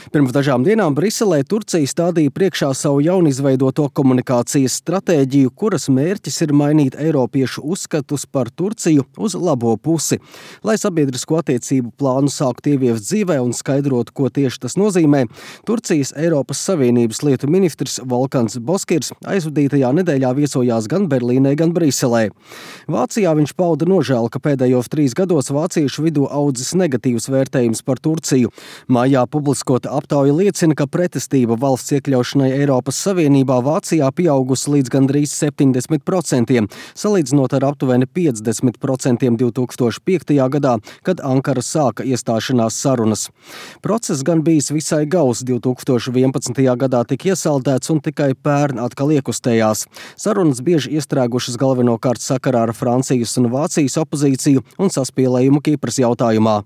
Pirms dažām dienām Briselē Turcija stādīja priekšā savu jaunizveidoto komunikācijas stratēģiju, kuras mērķis ir mainīt eiropiešu uzskatus par Turciju uz labo pusi. Lai sabiedrisko attiecību plānu sāktu ieviest dzīvē un skaidrotu, ko tieši tas nozīmē, Turcijas Eiropas Savienības lietu ministrs Volkans Boskirs aizvadītajā nedēļā viesojās gan Berlīnē, gan Briselē. Vācijā viņš pauda nožēlu, ka pēdējos 3 gados vāciešu vidū audzis negatīvs vērtējums par Turciju. Mājā publiskota aptauja liecina, ka pretestība valsts iekļaušanai Eiropas Savienībā Vācijā pieaugusi līdz gandrīz 70%, salīdzinot ar aptuveni 50% 2005. Gadā, kad Ankara sāka iestāšanās sarunas. Process gan bijis visai gauss. 2011. gadā tika iesaldēts un tikai pērn atkal iekustējās. Sarunas bieži iestrēgušas galvenokārt sakarā ar Francijas un Vācijas opozīciju un saspīlējumu Kipras jautājumā.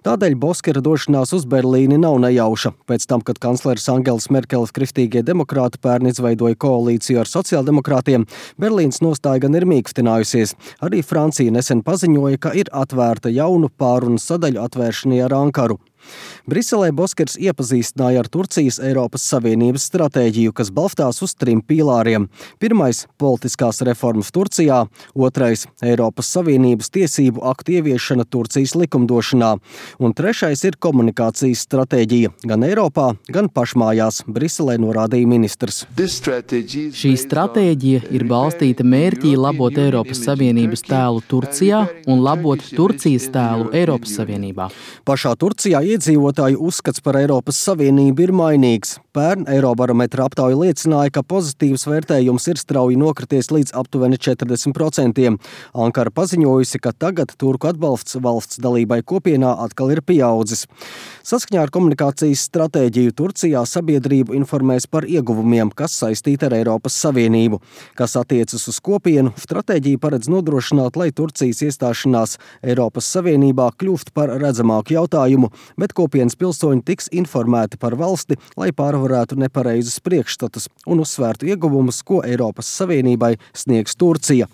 Tādēļ Boskira došanās uz Berlīni nav nejauša. Pēc tam, kad kancleris Angels Merkeles kristīgie demokrāti pērn izveidoja koalīciju ar sociāldemokrātiem, Berlīnas nostāja gan ir mīkstinājusies. Arī Francija nesen paziņoja, ka ir atvērta jaunu pārunu sadaļu atvēršanai ar Ankaru. Briselē Boskirs iepazīstināja ar Turcijas Eiropas Savienības stratēģiju, kas balstās uz 3 pīlāriem. Pirmais – politiskās reformas Turcijā, otrais – Eiropas Savienības tiesību aktu ieviešana Turcijas likumdošanā, un trešais ir komunikācijas stratēģija gan Eiropā, gan pašmājās, Briselē norādīja ministrs. Šī stratēģija ir balstīta mērķī labot Eiropas Savienības tēlu Turcijā un labot Turcijas tēlu Eiropas Savienībā. Pašā Turcijā iedzīvotāju uzskats par Eiropas Savienību ir mainīgs. Pērn Eirobarometra aptauja liecināja, ka pozitīvs vērtējums ir strauji nokrities līdz aptuveni 40%. Ankara paziņojusi, ka tagad turku atbalsts valsts dalībai kopienā atkal ir pieaudzis. Saskaņā ar komunikācijas stratēģiju Turcijā sabiedrību informēs par ieguvumiem, kas saistīti ar Eiropas Savienību. Kas attiecas uz kopienu, stratēģija paredz nodrošināt, lai Turcijas iestāšanās Eiropas Savienībā kļūst par redzamāku jautājumu, bet kopienas pilsoņi tiks informēti par valsti, lai pārvarētu nepareizus priekšstatus un uzsvērtu ieguvumus, ko Eiropas Savienībai sniegs Turcija.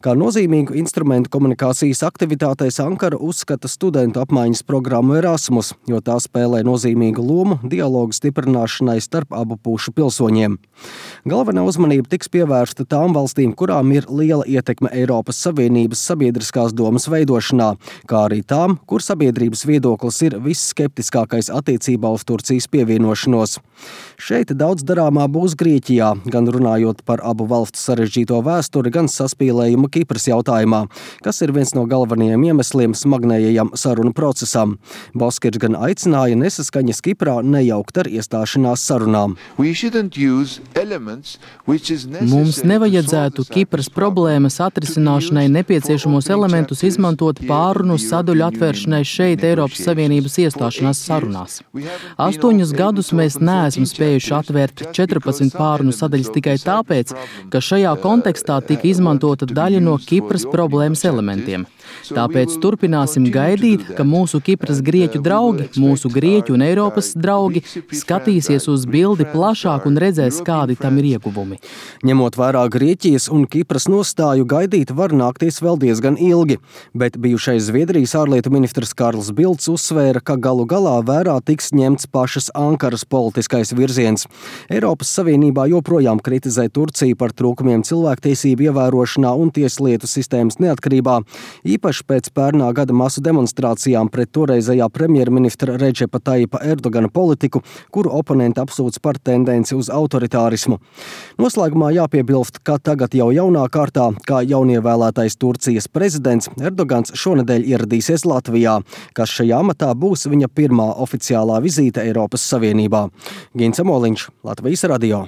Kā nozīmīgu instrumentu komunikācijas aktivitātēs Ankara uzskata studentu apmaiņas programmu Erasmus, jo tā spēlē nozīmīgu lomu dialogu stiprināšanai starp abu pušu pilsoņiem. Galvenā uzmanība tiks pievērsta tām valstīm, kurām ir liela ietekme Eiropas Savienības sabiedriskās domas veidošanā, kā arī tām, kur sabiedrības viedoklis ir visskeptiskākais attiecībā uz Turcijas pievienošanos. Šeit daudz darāmā būs Grieķijā, gan runājot par abu valstu sarežģīto vēsturi, gan saspīlējumu Kipras jautājumā, kas ir viens no galvenajiem iemesliem smagnējajam sarunu procesam. Boskirs gan aicināja nesaskaņas Kiprā nejaukt ar iestāšanās sarunām. Mums nevajadzētu Kipras problēmas atrisināšanai nepieciešamos elementus izmantot pārunu sadaļu atvēršanai šeit Eiropas Savienības iestāšanās sarunās. 8 gadus mēs neesam spējuši atvērt 14 pārunu sadaļas tikai tāpēc, ka šajā kontekstā tika izmantota daļa no Kipras problēmas elementiem. Tāpēc turpināsim gaidīt, ka mūsu Kipras grieķu draugi, mūsu grieķu un Eiropas draugi skatīsies uz bildi plašāk un redzēs, kādi tam ir ieguvumi. Ņemot vērā Grieķijas un Kipras nostāju, gaidīt var nākties vēl diezgan ilgi, bet bijušais Zviedrijas ārlietu ministrs Karls Bildts uzsvēra, ka galu galā vērā tiks ņemts pašas Ankaras politiskais virziens. Eiropas Savienībā joprojām kritizē Turciju par trūkumiem cilvēktiesību ievērošanā un tieslietu sistēmas neatkarībā, īpaši pēc pērnā gada masu demonstrācijām pret toreizējā premjerministra Redžepa Tajipa Erdogana politiku, kuru oponenti apsūdz par tendenci uz autoritārismu. Noslēgumā jāpiebilst, ka tagad jau jaunā kārtā, kā jaunievēlētais Turcijas prezidents, Erdogans šonedēļ ieradīsies Latvijā, kas šajā amatā būs viņa pirmā oficiālā vizīte Eiropas Savienībā. Gins Amoliņš, Latvijas radio.